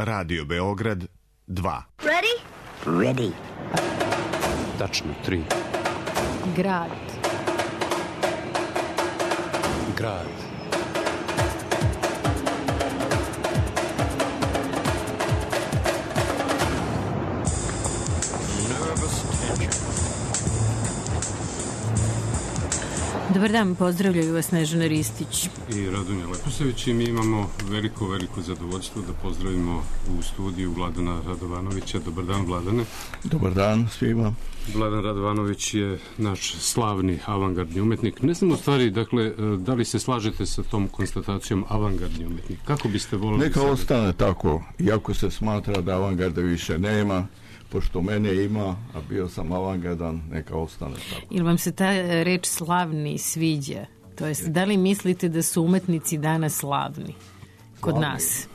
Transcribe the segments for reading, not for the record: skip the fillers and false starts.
Radio Beograd 2. Ready? Ready. Tačno 3. Grad. Grad. Dobar dan, pozdravljaju vas Snežana Ristić I Radonja Leposavić i mi imamo veliko zadovoljstvo da pozdravimo u studiju Vladana Radovanovića. Dobar dan, Vladane. Dobar dan svima. Vladan Radovanović je naš slavni avangardni umetnik. Ne znam u stvari, dakle, da li se slažete sa tom konstatacijom avangardni umetnik? Kako biste volili... Neka ostane tako, iako se smatra da avangarda više nema, pošto mene ima, a bio sam avangardan, neka ostane tako. Ili vam se ta reč slavni sviđa? To jest, da li mislite da su umetnici danas slavni kod nas?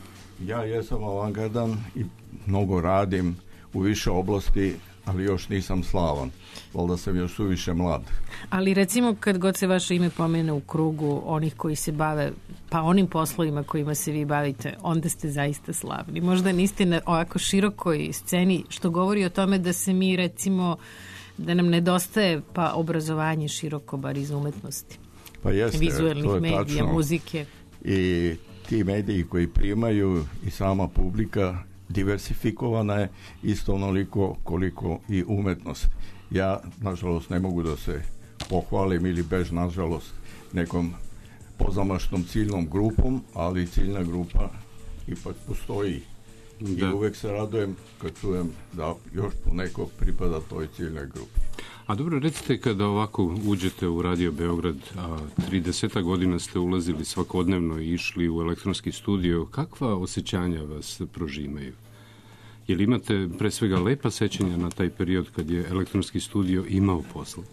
Ja jesam avangardan i mnogo radim u više oblasti, ali još nisam slavan. Valjda sam još suviše mlad. Ali recimo kad god se vaše ime pomene u krugu onih koji se bave pa onim poslovima kojima se vi bavite, onda ste zaista slavni. Možda niste na ovako širokoj sceni, što govori o tome da se mi recimo, da nam nedostaje pa obrazovanje široko bar iz umetnosti. Pa jeste, vizuelnih medija, tačno. Muzike. I ti mediji koji primaju i sama publika diversifikovana je isto onoliko koliko i umetnost. Ja, nažalost, ne mogu da se pohvalim ili bez, nažalost, nekom pozamašnom ciljnom grupom, ali ciljna grupa ipak postoji. Da. I uvek se radujem kad čujem da još poneko pripada toj ciljnoj grupi. A dobro, recite, kada ovako uđete u Radio Beograd, 30 godina ste ulazili svakodnevno i išli u elektronski studio, kakva osjećanja vas prožimaju? Jel imate pre svega lepa sećanja na taj period kad je elektronski studio imao posla?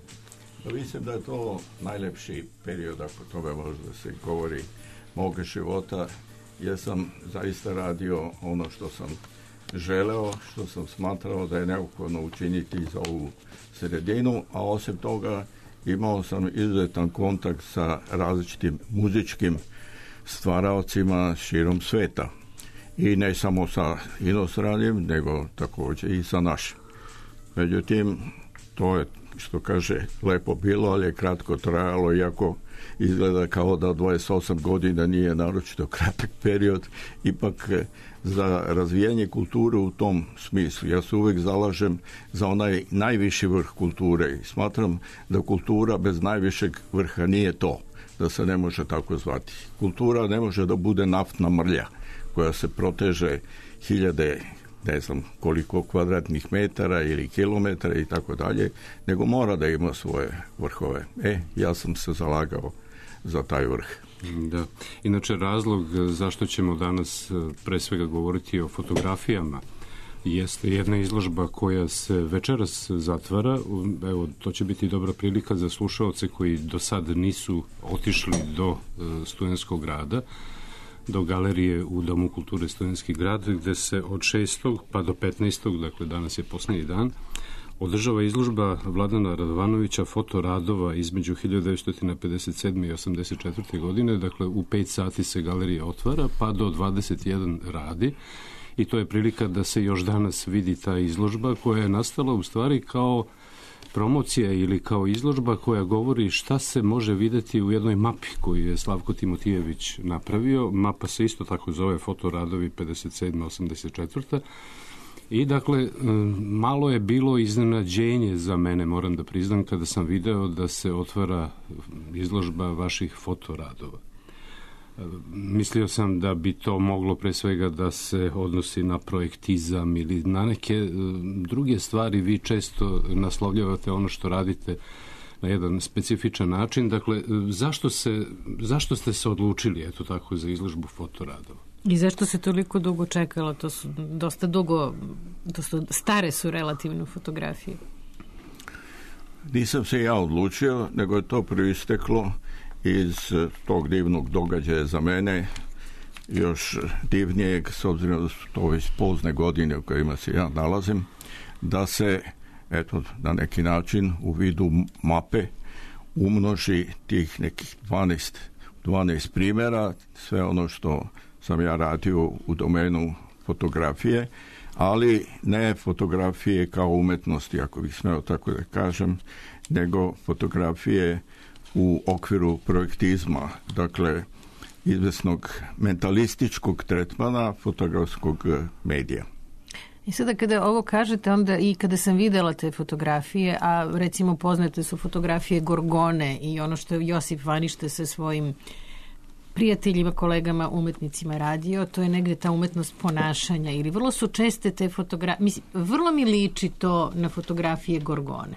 Mislim da je to najlepši period, ako toga može da se govori, moga života. Ja sam zaista radio ono što sam želeo, što sam smatrao da je neophodno učiniti za ovu sredinu, a osim toga imao sam izuzetan kontakt sa različitim muzičkim stvaraocima širom sveta. I ne samo sa inostranim, nego također i sa našim. Međutim, to je, što kaže, lepo bilo, ali je kratko trajalo, iako izgleda kao da 28 godina nije naročito kratak period, ipak za razvijanje kulture u tom smislu. Ja se uvek zalažem za onaj najviši vrh kulture i smatram da kultura bez najvišeg vrha nije to, da se ne može tako zvati. Kultura ne može da bude naftna mrlja koja se proteže hiljade, ne znam koliko kvadratnih metara ili kilometara i tako dalje, nego mora da ima svoje vrhove. Ja sam se zalagao za taj vrh. Da. Inače, razlog zašto ćemo danas pre svega govoriti o fotografijama jeste jedna izložba koja se večeras zatvara. Evo, to će biti dobra prilika za slušaoce koji do sad nisu otišli do Studentskog grada, do galerije u Domu kulture Studentski grad, gde se od 6. pa do 15. dakle danas je posljednji dan, održava izložba Vladana Radovanovića fotoradova između 1957. i 84. godine, dakle u 5 sati se galerija otvara, pa do 21 radi i to je prilika da se još danas vidi ta izložba koja je nastala u stvari kao promocija ili kao izložba koja govori šta se može videti u jednoj mapi koju je Slavko Timotijević napravio. Mapa se isto tako zove Fotoradovi 57-84. I dakle, malo je bilo iznenađenje za mene, moram da priznam, kada sam video da se otvara izložba vaših fotoradova. Mislio sam da bi to moglo pre svega da se odnosi na projektizam ili na neke druge stvari. Vi često naslovljavate ono što radite na jedan specifičan način. Dakle, zašto ste se odlučili, eto tako, za izložbu fotoradova? I zašto se toliko dugo čekalo? To su dosta dugo, stare su relativno fotografije. Nisam se ja odlučio, nego je to proisteklo iz tog divnog događaja za mene, još divnijeg, s obzirom da su to već pozne godine u kojima se ja nalazim, da se, eto, na neki način u vidu mape umnoži tih nekih 12 primjera, sve ono što sam ja radio u domenu fotografije, ali ne fotografije kao umetnosti, ako bih smeo tako da kažem, nego fotografije u okviru projektizma, dakle izvesnog mentalističkog tretmana fotografskog medija. I sada kada ovo kažete, onda i kada sam videla te fotografije, a recimo poznate su fotografije Gorgone i ono što je Josip Vanište sa svojim prijateljima, kolegama, umetnicima radio, to je negde ta umetnost ponašanja ili vrlo su česte te fotografije, mislim, vrlo mi liči to na fotografije Gorgone.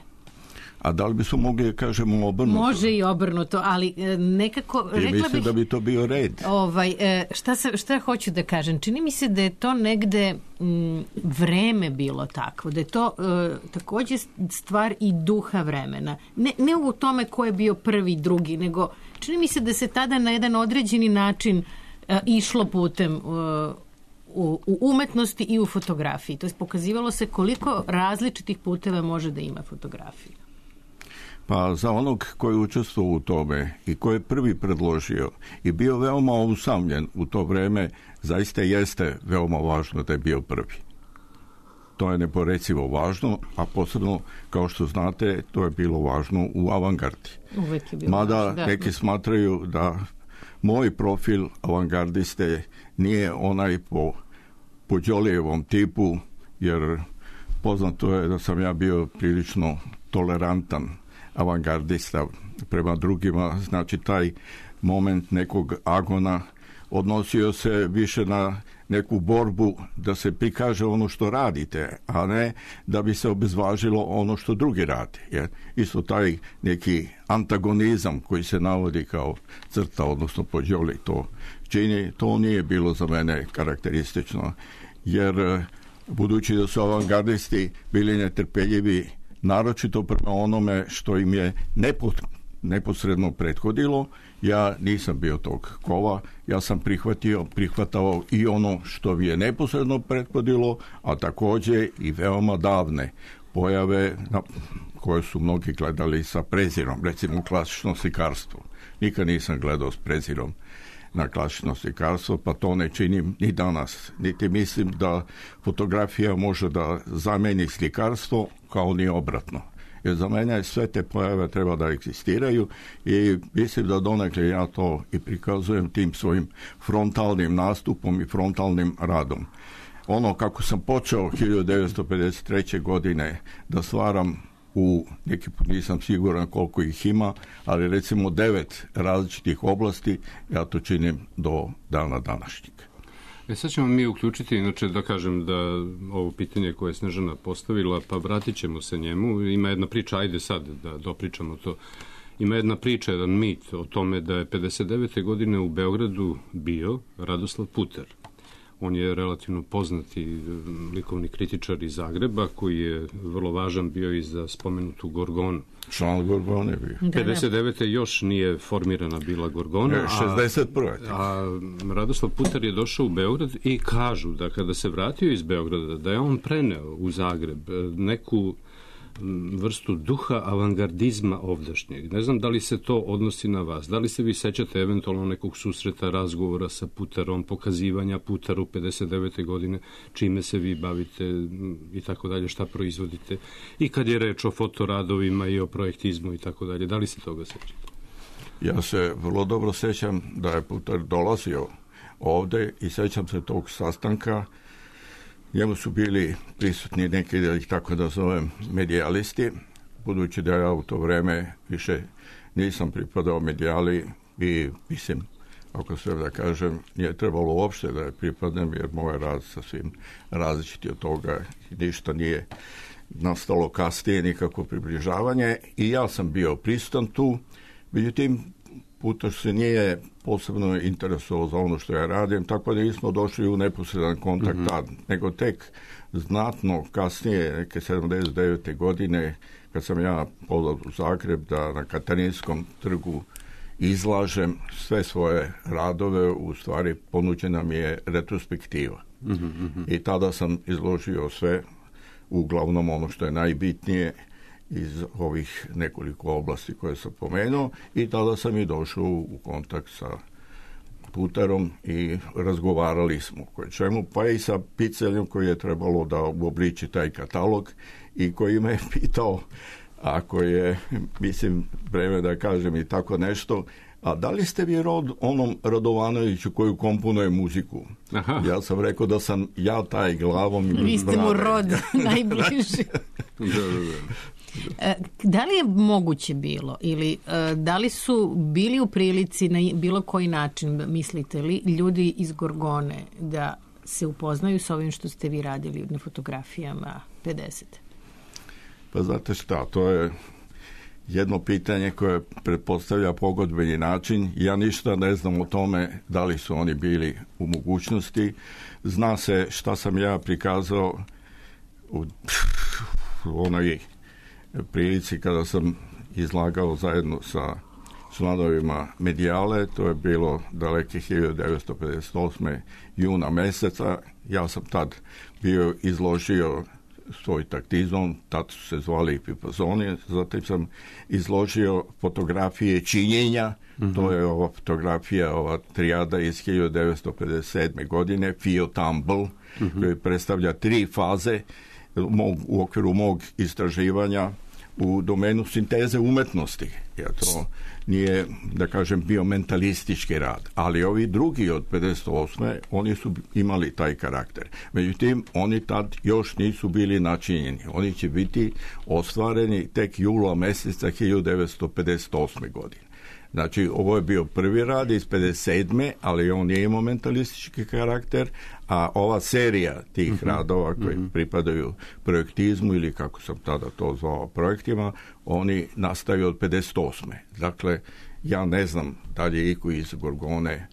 A da li bismo mogli da kažemo obrnuto? Može i obrnuto, ali nekako rekla bih... Mislim da bi to bio red. Šta hoću da kažem? Čini mi se da je to negde vreme bilo takvo, da je to takođe stvar i duha vremena. Ne u tome ko je bio prvi, drugi, nego čini mi se da se tada na jedan određeni način išlo putem u umetnosti i u fotografiji. To je pokazivalo se koliko različitih puteva može da ima fotografija. Pa za onog koji je učestvovao u tome i koji je prvi predložio i bio veoma usamljen u to vreme, zaista jeste veoma važno da je bio prvi. To je neporecivo važno, a posebno, kao što znate, to je bilo važno u avangardi. Uvek je bilo mada važno, da. Neki smatraju da moj profil avangardiste nije onaj po Đolijevom tipu, jer poznato je da sam ja bio prilično tolerantan avangardista prema drugima, znači taj moment nekog agona odnosio se više na neku borbu da se prikaže ono što radite, a ne da bi se obezvažilo ono što drugi radi. Isto taj neki antagonizam koji se navodi kao crta, odnosno po Đoli to čini, to nije bilo za mene karakteristično, jer budući da su avangardisti bili netrpeljivi naročito prema onome što im je neposredno prethodilo, ja nisam bio tog kova, ja sam prihvatao i ono što mi je neposredno prethodilo, a takođe i veoma davne pojave koje su mnogi gledali sa prezirom, recimo klasično slikarstvo. Nikad nisam gledao s prezirom na klasično slikarstvo, pa to ne činim ni danas. Niti mislim da fotografija može da zameni slikarstvo, kao ni obratno. Jer za mene sve te pojave treba da egzistiraju i mislim da donekle ja to i prikazujem tim svojim frontalnim nastupom i frontalnim radom. Ono kako sam počeo 1953. godine da stvaram neki put nisam siguran koliko ih ima, ali recimo 9 različitih oblasti, ja to činim do dana današnjeg. Sad ćemo mi uključiti, inače da kažem da ovo pitanje koje je Snežana postavila, pa vratit ćemo se njemu. Ima jedna priča, ajde sad da dopričamo to. Ima jedna priča, jedan mit o tome da je 59. godine u Beogradu bio Radoslav Puter. On je relativno poznati likovni kritičar iz Zagreba, koji je vrlo važan bio i za spomenutu Gorgonu. Član Gorgone je bio. 59. još nije formirana bila Gorgona. 61. A Radoslav Puter je došao u Beograd i kažu da kada se vratio iz Beograda, da je on preneo u Zagreb neku vrstu duha avangardizma ovdašnjeg. Ne znam da li se to odnosi na vas. Da li se vi sećate eventualno nekog susreta, razgovora sa Puterom, pokazivanja Puteru 59. godine, čime se vi bavite i tako dalje, šta proizvodite. I kad je reč o fotoradovima i o projektizmu i tako dalje. Da li se toga sećate? Ja se vrlo dobro sećam da je Puter dolazio ovde i sećam se tog sastanka. Njemu su bili prisutni neki, da ih tako da zovem, medijalisti, budući da ja u to vreme više nisam pripadao medijali i mislim, ako sve da kažem, nije trebalo uopšte da je pripadnem, jer moj rad sasvim različiti od toga, ništa nije nastalo kasnije, nikako približavanje i ja sam bio prisutan tu, međutim, Puter se nije posebno interesovao za ono što ja radim, tako da nismo došli u neposredan kontakt tad, nego tek znatno kasnije, neke 79. godine, kad sam ja podao u Zagreb da na Katarinskom trgu izlažem sve svoje radove, u stvari ponuđena mi je retrospektiva. I tada sam izložio sve, uglavnom ono što je najbitnije, iz ovih nekoliko oblasti koje sam pomenuo i tada sam i došao u kontakt sa Putarom i razgovarali smo koje čemu, pa i sa Piceljem koji je trebalo da uobliči taj katalog i koji me je pitao, ako je, mislim, vreme da kažem i tako nešto, a da li ste vi rod onom Radovanoviću koju komponuje muziku? Aha. Ja sam rekao da sam ja taj glavom i vi ste mu rod najbliži. Da li je moguće bilo ili da li su bili u prilici na bilo koji način, mislite li, ljudi iz Gorgone da se upoznaju s ovim što ste vi radili na fotografijama 50? Pa znate šta, to je jedno pitanje koje pretpostavlja pogodbeni način. Ja ništa ne znam o tome da li su oni bili u mogućnosti. Zna se šta sam ja prikazao u onoj prilici kada sam izlagao zajedno sa članovima Medijale. To je bilo daleke 1958. juna meseca. Ja sam tad bio izložio svoj taktizam, tad su se zvali Pipazoni, zatim sam izložio fotografije činjenja, to je ova fotografija, ova trijada iz 1957. godine, Fio Tumble, koji predstavlja 3 faze u okviru mog istraživanja u domenu sinteze umetnosti. Ja to nije, da kažem, bio mentalistički rad, ali ovi drugi od 58. oni su imali taj karakter. Međutim, oni tad još nisu bili načinjeni. Oni će biti ostvareni tek jula meseca 1958. godine. Znači, ovo je bio prvi rad iz 57. ali on nije imao mentalistički karakter, a ova serija tih radova koji pripadaju projektizmu ili kako sam tada to zvao projektima, oni nastaju od 58. Dakle, ja ne znam da li je iko iz Gorgone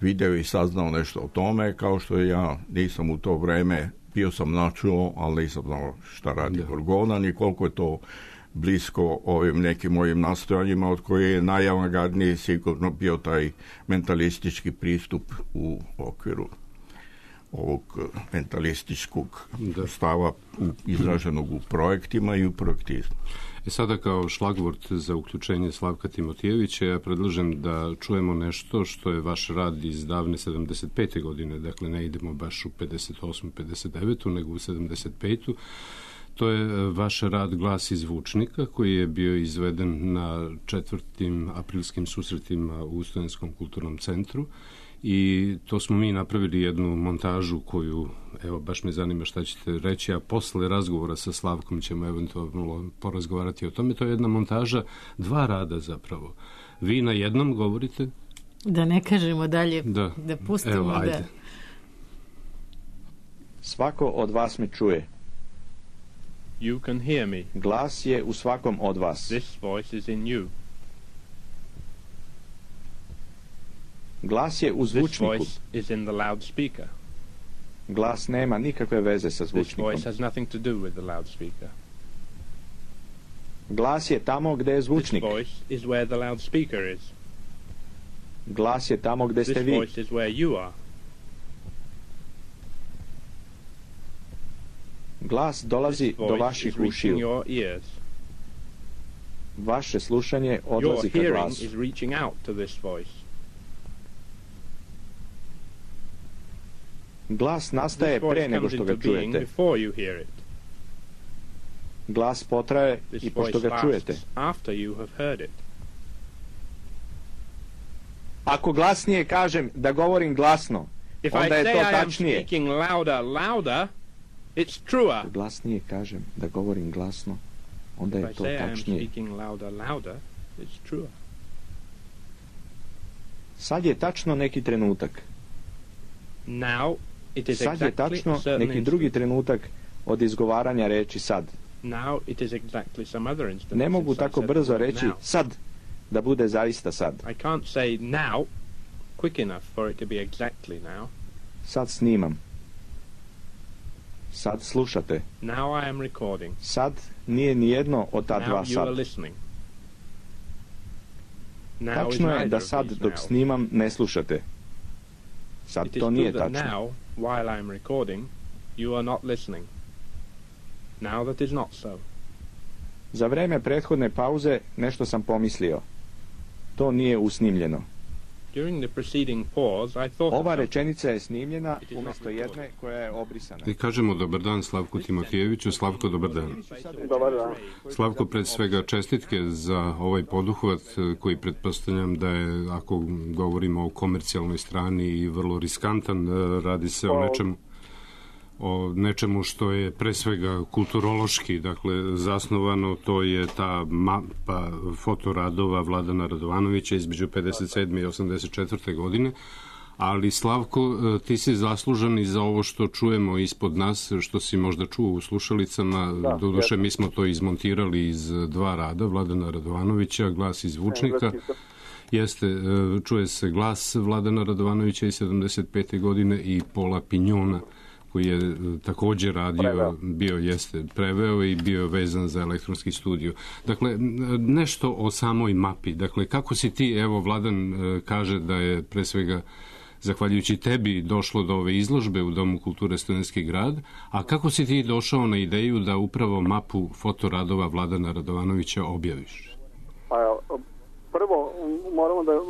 video i saznao nešto o tome, kao što ja nisam u to vreme, bio sam načuo, ali nisam znao šta radi Gorgona, ni koliko je to blisko ovim nekim mojim nastojanjima, od koje je najavangardniji sigurno bio taj mentalistički pristup u okviru ovog mentalističkog stava izraženog u projektima i u projektizmu. Sada kao šlagvort za uključenje Slavka Timotijevića ja predlažem da čujemo nešto što je vaš rad iz davne 75. godine, dakle ne idemo baš u 58. 59. nego u 75. To je vaš rad Glas iz zvučnika koji je bio izveden na 4. aprilskim susretima u Studenskom kulturnom centru i to smo mi napravili jednu montažu koju, evo, baš me zanima šta ćete reći, a posle razgovora sa Slavkom ćemo eventualno porazgovarati o tome. To je jedna montaža 2 rada zapravo. Vi na jednom govorite? Da ne kažemo dalje, da pustimo. Evo, ajde. Svako od vas me čuje. You can hear me. Glas je u svakom od vas. This voice is in you. Glas je u This zvučniku. voice is in the loudspeaker. Glas nema nikakve veze sa This zvučnikom. voice has nothing to do with the loudspeaker. Glas je tamo gde je This zvučnik. voice is where the loudspeaker is. Glas je tamo gde ste This vi. voice is where you are. Glas dolazi This do voice vaših is reaching ušiju. your ears. Vaše slušanje Your odlazi ka hearing glasu. is reaching out to this voice. Glas nastaje This pre voice nego comes što ga into being čujete. before you hear it. Glas potraje This i pošto voice ga čujete. lasts after you have heard it. Ako glasnije kažem da govorim glasno, If I onda je say to I am tačnije. speaking louder, it's truer. Ako glasnije kažem da govorim glasno, onda If je I to say I am tačnije. speaking louder, it's truer. Sad je tačno neki trenutak. Now it is Sad je exactly tačno a certain neki drugi instant. trenutak od izgovaranja reči sad. Now it is exactly some other instant. Ne mogu since I tako said the brzo word reći now. sad da bude zaista sad. I can't say now quick enough for it to be exactly now. Sad snimam. Sad slušate. Now I am recording. Sad nije ni jedno od ta dva Now you are sad. listening. Now is Tačno je neither da of sad these dok now. snimam ne slušate. Sad It is to true nije that tačno. now, while I am recording, you are not listening. Now that is not so. Za vreme prethodne pauze nešto sam pomislio. To nije usnimljeno. During the preceding pause, I thought Ova rečenica je snimljena umjesto jedne koja je obrisana. I kažemo dobar dan Slavku Timotijeviću. Slavko, dobar dan. Dobar dan. Slavko, pred svega čestitke za ovaj poduhvat koji pretpostavljam da je, ako govorimo o komercijalnoj strani, i vrlo riskantan. Radi se o nečemu što je pre svega kulturološki, dakle zasnovano. To je ta mapa fotoradova Vladana Radovanovića između 57. i 84. godine. Ali Slavko, ti si zaslužan i za ovo što čujemo ispod nas, što si možda čuo u slušalicama. Doduše, mi smo to izmontirali iz dva rada Vladana Radovanovića, glas i zvučnika. Čuje se glas Vladana Radovanovića iz 75. godine i Pola Pinjona, koji je također radio, preveo i bio vezan za elektronski studio. Dakle, nešto o samoj mapi. Dakle, kako si ti, evo, Vladan kaže da je pre svega zahvaljujući tebi došlo do ove izložbe u Domu kulture Studentski grad, a kako si ti došao na ideju da upravo mapu fotoradova Vladana Radovanovića objaviš? Prvo,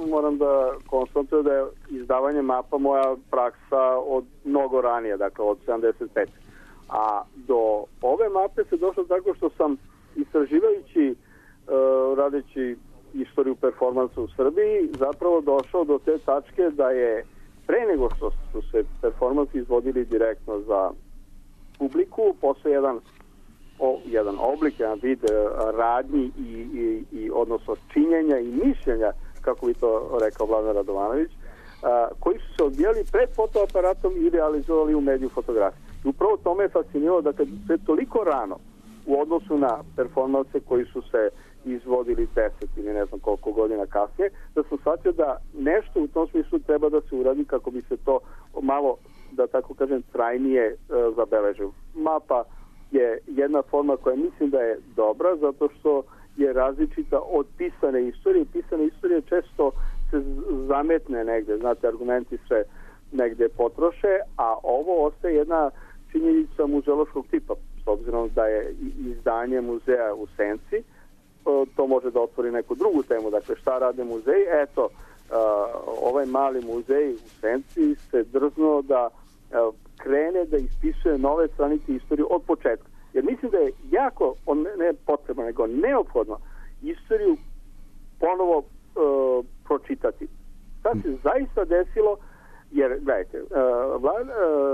moram da konstatujem da je izdavanje mapa moja praksa od mnogo ranije, dakle od 75. A do ove mape se došlo tako što sam istraživajući, radeći istoriju performansa u Srbiji, zapravo došao do te tačke da je pre nego što su se performansi izvodili direktno za publiku, postoje jedan oblik, jedan vid radnji i odnosno činjenja i mišljenja, kako bi to rekao Vladan Radovanović, koji su se odvijali pred fotoaparatom i realizovali u mediju fotografije. I upravo to me je fasciniralo da kad se toliko rano u odnosu na performanse koji su se izvodili 10 ili ne znam koliko godina kasnije, da sam shvatio da nešto u tom smislu treba da se uradi kako bi se to malo, da tako kažem, trajnije zabeležilo. Mapa je jedna forma koja mislim da je dobra zato što je različita od pisane istorije. Pisane istorije često se zametne negde, znate, argumenti se negde potroše, a ovo ostaje jedna činjenica muzeološkog tipa, s obzirom da je izdanje muzeja u senci. To može da otvori neku drugu temu, dakle šta rade muzeji. Eto, ovaj mali muzej u senci se drznuo da krene da ispisuje nove stranice istoriju od početka. Jer mislim da je jako, ne potrebno, nego neophodno istoriju ponovo pročitati. Sad se zaista desilo, jer, gledajte,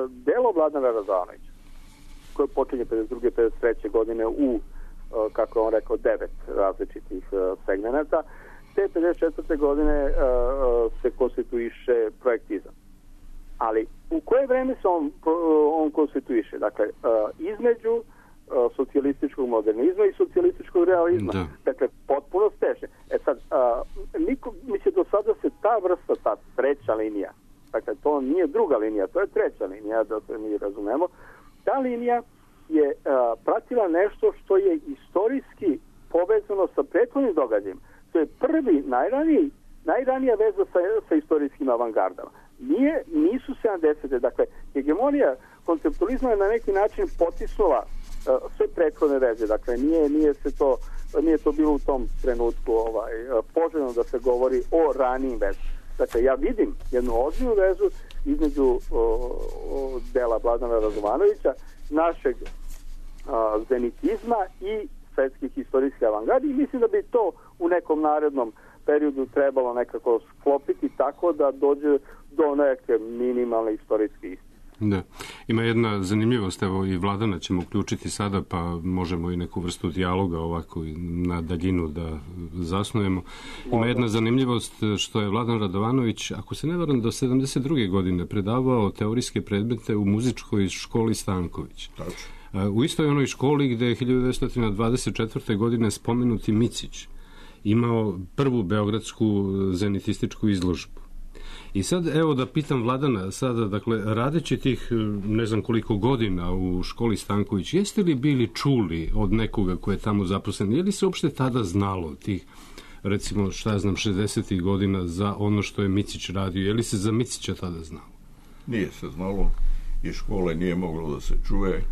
delo Vladana Radovanovića, koje počinje 52. 53. godine u, kako je on rekao, 9 različitih segmenata, te 54. godine se konstituiše projektizam. Ali u koje vreme se on konstituiše? Dakle, između socijalističkog modernizma i socijalističkog realizma. Da. Dakle, potpuno steže. Sad, mislim, do sada se ta vrsta, ta treća linija, dakle, to nije druga linija, to je treća linija, da se mi razumemo, ta linija je pratila nešto što je istorijski povezano sa prethodnim događajem. To je prvi, najranija veza sa istorijskim avangardama. Nisu 70. Dakle, hegemonija konceptualizma je na neki način potisnula sve prethodne veze. Dakle, nije to bilo u tom trenutku poželjno da se govori o ranijim vezama. Dakle, ja vidim jednu ozbiljnu vezu između dela Vladana Radovanovića, našeg zenitizma i svetskih istorijskih avangardi, i mislim da bi to u nekom narednom periodu trebalo nekako sklopiti tako da dođe do neke minimalne istorijske istine. Da. Ima jedna zanimljivost, evo i Vladana ćemo uključiti sada, pa možemo i neku vrstu dijaloga ovako na daljinu da zasnujemo. Ima jedna zanimljivost što je Vladan Radovanović, ako se ne varam, do 72. godine predavao teorijske predmete u muzičkoj školi Stanković. U istoj onoj školi gde je 1924. godine spomenuti Micić imao prvu beogradsku zenitističku izložbu. I sad, evo da pitam Vladana sada, dakle, radeći tih ne znam koliko godina u školi Stanković, jeste li bili čuli od nekoga ko je tamo zaposlen, je li se uopšte tada znalo tih, recimo, 60. godina za ono što je Micić radio, je li se za Micića tada znalo? Nije se znalo i škole nije moglo da se čuje,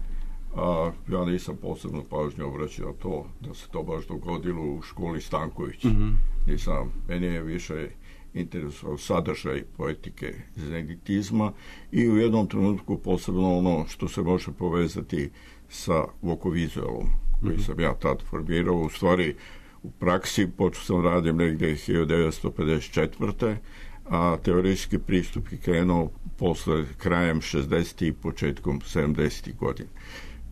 a ja nisam posebno pažnju obraćao to, da se to baš dogodilo u školi Stanković. Meni je više interesovao sadržaj poetike zenitizma i u jednom trenutku posebno ono što se može povezati sa vokovizualom koji sam ja tad formirao. U stvari u praksi počeo sam radim negdje 1954. a teorijski pristup je krenuo posle krajem 60. i početkom 70. godina.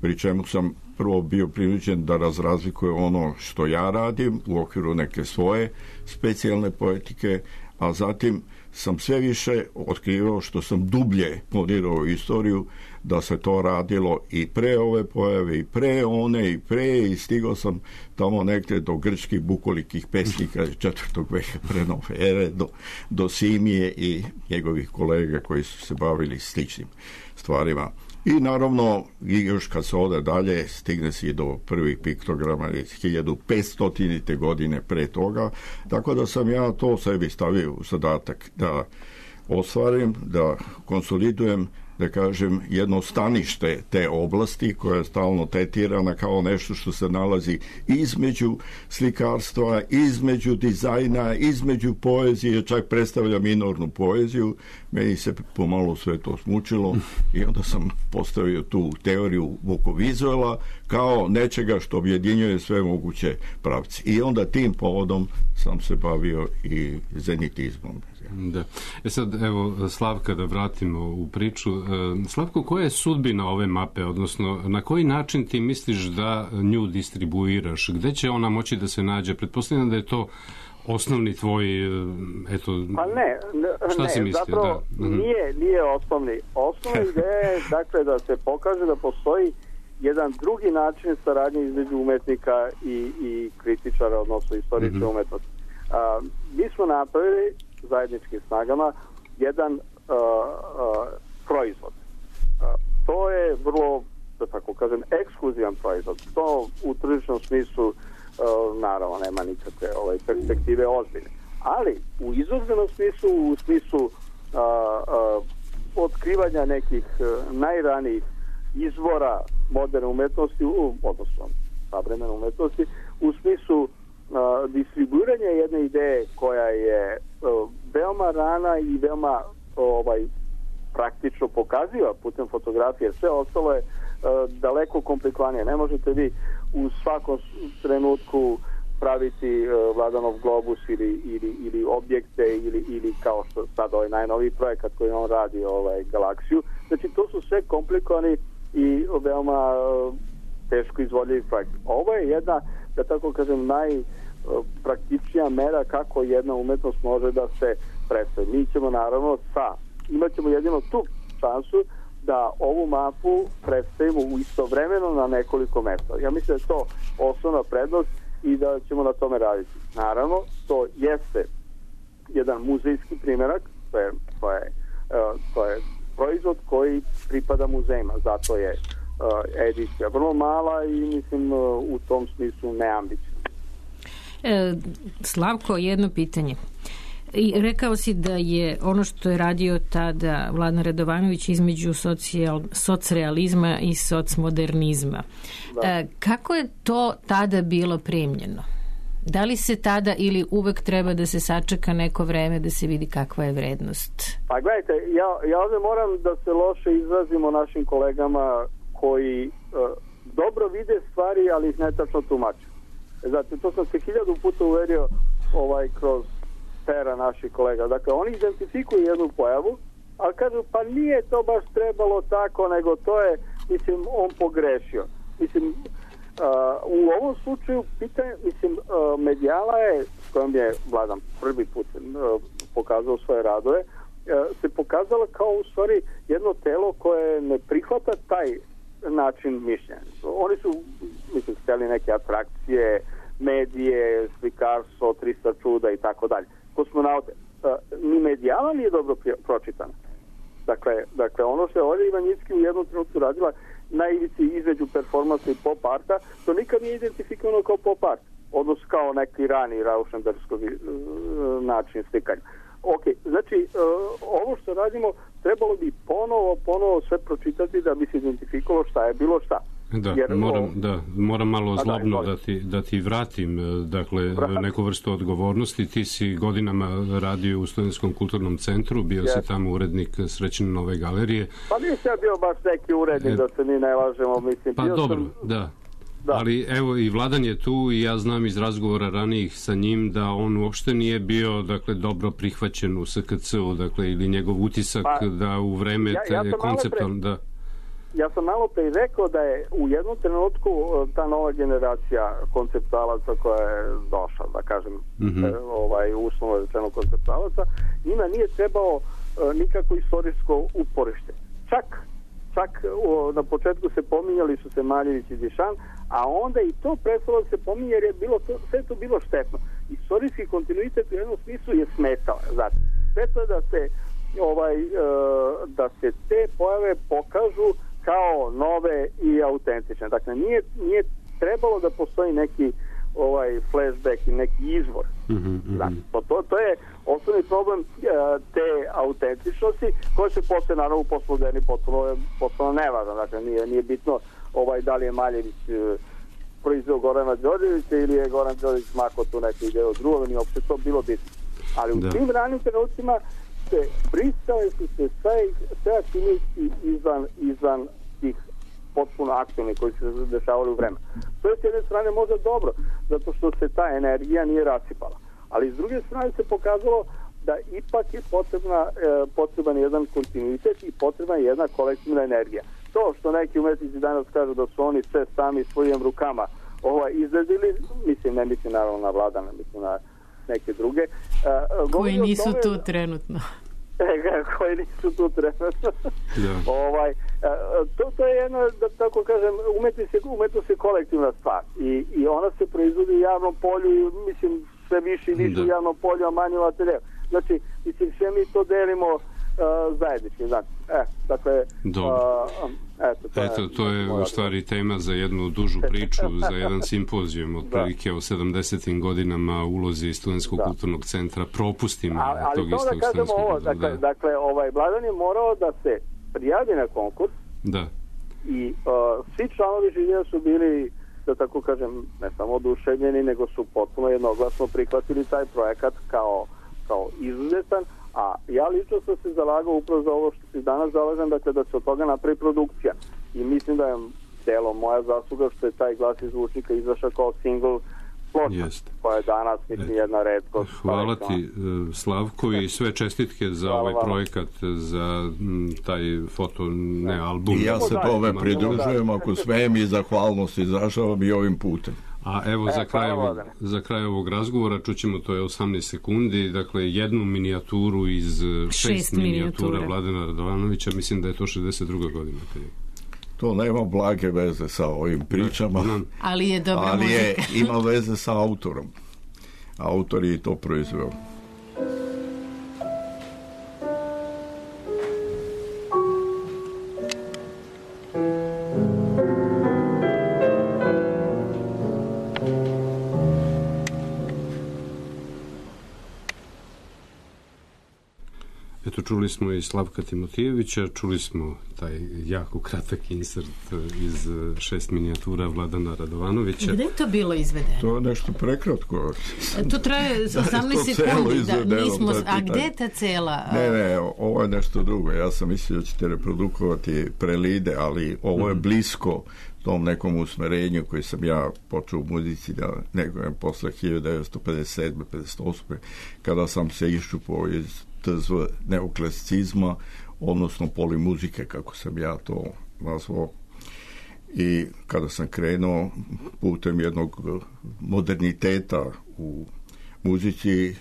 Pri čemu sam prvo bio prinuđen da razlikujem ono što ja radim u okviru neke svoje specijalne poetike, a zatim sam sve više otkrivao što sam dublje ponirao istoriju, da se to radilo i pre ove pojave, i pre one, i pre, i stigao sam tamo negdje do grčkih bukolikih pesnika 4. veka pre nove ere, do Simije i njegovih kolega koji su se bavili sličnim stvarima. I naravno, i još kad se ode dalje, stigne se i do prvih piktograma 1500. godine pre toga, tako da sam ja to sebi stavio u zadatak da ostvarim, da konsolidujem, da kažem, jedno stanište te oblasti koja je stalno tretirana kao nešto što se nalazi između slikarstva, između dizajna, između poezije, čak predstavlja minornu poeziju. Meni se pomalo sve to smučilo i onda sam postavio tu teoriju vokovizuala kao nečega što objedinjuje sve moguće pravci. I onda tim povodom sam se bavio i zenitizmom. Da. Sad, evo, Slavka, da vratimo u priču. Slavko, koja je sudbina ove mape, odnosno na koji način ti misliš da nju distribuiraš? Gde će ona moći da se nađe? Pretpostavljam da je to osnovni tvoj, eto... Pa ne, šta si mislio? Zapravo da. Nije osnovni. Osnovna ideja je, dakle, da se pokaže da postoji jedan drugi način saradnje između umetnika i kritičara, odnosno istoričara umetnosti. Mi smo napravili zajedničkim snagama jedan proizvod. To je vrlo, da tako kažem, ekskluzivan proizvod. To u tržišnom smislu naravno nema nikakve perspektive ozbiljne. Ali u izuzbenom smislu, u smislu otkrivanja nekih najranijih izvora moderne umetnosti, odnosno savremene umetnosti, u smislu distribuiranja jedne ideje koja je veoma rana i veoma praktično pokaziva putem fotografije. Sve ostalo je daleko komplikovanije. Ne možete vi u svakom trenutku praviti Vladanov globus ili objekte ili kao što sad ovaj najnoviji projekat koji on radi, galaksiju. Znači to su sve komplikovani i veoma teško izvodljivi projekti. Ovo je jedna, da tako kažem, najpraktičnija mera kako jedna umetnost može da se predstavi. Mi ćemo naravno imat ćemo jedino tu šansu da ovu mapu predstavimo istovremeno na nekoliko mesta. Ja mislim da je to osnovna prednost i da ćemo na tome raditi. Naravno, to jeste jedan muzejski primjerak, to je proizvod koji pripada muzejima, zato je edicija vrlo mala i mislim u tom smislu neambiciozna. Slavko, jedno pitanje. I rekao si da je ono što je radio tada Vladan Radovanović između socrealizma i socmodernizma. Kako je to tada bilo primljeno? Da li se tada ili uvek treba da se sačeka neko vreme da se vidi kakva je vrednost? Pa gledajte, ja ovdje moram da se loše izrazimo našim kolegama koji dobro vide stvari, ali ih netačno tumače. Zato to sam se 1000 puta uverio kroz pera naših kolega. Dakle, oni identifikuju jednu pojavu, ali kažu, pa nije to baš trebalo tako, nego to je, mislim, on pogrešio. Mislim, u ovom slučaju pitanje, Medijala je, s kojom je Vladan prvi put pokazao svoje radove, se pokazala kao u stvari jedno telo koje ne prihvata taj način mišljenja. Oni su, mislim, htjeli neke atrakcije, medije, slikarstvo, 300 čuda i tako dalje. Kosmonaute. Ni Medijala nije dobro pročitana. Dakle, ono što je Olja Ivanjicki u jednom trenutku radila na ivici između performansa i pop arta, to nikad nije identifikovano kao pop art, odnosno kao neki rani raušenbergskog način slikanja. Ok, znači, ovo što radimo trebalo bi ponovo sve pročitati da bi se identifikovalo šta je bilo šta. Da, Jer, moram malo zlobno da ti vratim, dakle, neku vrstu odgovornosti. Ti si godinama radio u Studentskom kulturnom centru, bio si tamo urednik Srećninove galerije. Pa nisam bio baš neki urednik, da se mi ne lažemo, mislim. Pa dobro, da. Ali evo i Vladan je tu i ja znam iz razgovora ranijih sa njim da on uopšte nije bio, dakle, dobro prihvaćen u SKC-u, dakle, ili njegov utisak da u vreme konceptualno... Ja sam malo pre rekao da je u jednom trenutku ta nova generacija konceptualaca koja je došla, da kažem, uslovno rečeno konceptualaca, njima nije trebao nikako istorijsko uporište. Čak na početku pominjali su se Maljević i Dišan, a onda i to prestalo se pominje jer je sve to bilo štetno. Istorijski kontinuitet u jednom smislu je smetao. Znači, smetao je da se te pojave pokažu kao nove i autentične. Dakle, nije trebalo da postoji neki flashback i neki izvor. Znači, to je osnovni problem te autentičnosti, koje se posle naravno u postmoderni potpuno nevažno. Dakle, nije bitno da li je Maljević proizveo Gorana Đorđevića ili je Goran Đorđević mako tu neku ideju drugo, nije uopšte to bilo bitno. Ali u tim ranim trenucima pristale su se sve aktivnosti izvan tih potpuno aktivni koji se dešavali u vremenu. To je s jedne strane možda dobro, zato što se ta energija nije rasipala. Ali s druge strane se pokazalo da ipak je potreban jedan kontinuitet i potrebna je jedna kolektivna energija. To što neki umetnici danas kažu da su oni sve sami svojim rukama izradili, ne mislim naravno na Vladana, mislim na neke druge. Koji nisu tu trenutno. Koji nisu tu trenutno. To je jedna, da tako kažem, umetnost je kolektivna stvar i ona se proizvodi u javnom polju i mislim sve više i više u javnom polju, a manje u ateljevu. Znači, mislim, sve mi to delimo zajednički, znači. Dakle, to je u stvari tema za jednu dužu priču, za jedan simpozijum otprilike o 70. godinama ulozi Studentskog kulturnog centra, propustima tog istog Studentskog kulturnog. Dakle, Vladan je morao da se prijavi na konkurs i svi članovi žirija su bili, da tako kažem, ne samo oduševljeni, nego su potpuno jednoglasno prihvatili taj projekat kao izuzetan, a ja lično sam se zalagao upravo za ovo što se danas zalažem, dakle da se od toga napravi produkcija. I mislim da je delo moja zasluga što je taj Glas iz zvučnika izašao kao single ploča, koja je danas jedna retkost. Hvala ti, Slavko, i sve čestitke za ovaj projekat, za taj album. I ja se tome pridružujem, ako smem, i zahvalnost izražavam i ovim putem. A evo, za kraj ovog razgovora čućemo, to je 18 sekundi, dakle jednu minijaturu iz 6 minijatura Vladana Radovanovića, mislim da je to 62. godina. To nema blage veze sa ovim pričama, ali je dobra muzika. Ima veze sa autorom. Autor je to proizveo. Eto, čuli smo i Slavka Timotijevića, čuli smo taj jako kratak insert iz 6 minijatura Vladana Radovanovića. Gde je to bilo izvedeno? To je nešto prekratko. To traje 18 sekundi. A gde je ta cela? Ne, ovo je nešto drugo. Ja sam mislio da ćete reprodukovati prelide, ali ovo je blisko tom nekom usmerenju koji sam ja počeo u muzici posle 1957. 58. kada sam se iščupao iz TZV neoklasicizma, odnosno polimuzike, kako sam ja to nazvao, i kada sam krenuo putem jednog moderniteta u muzici,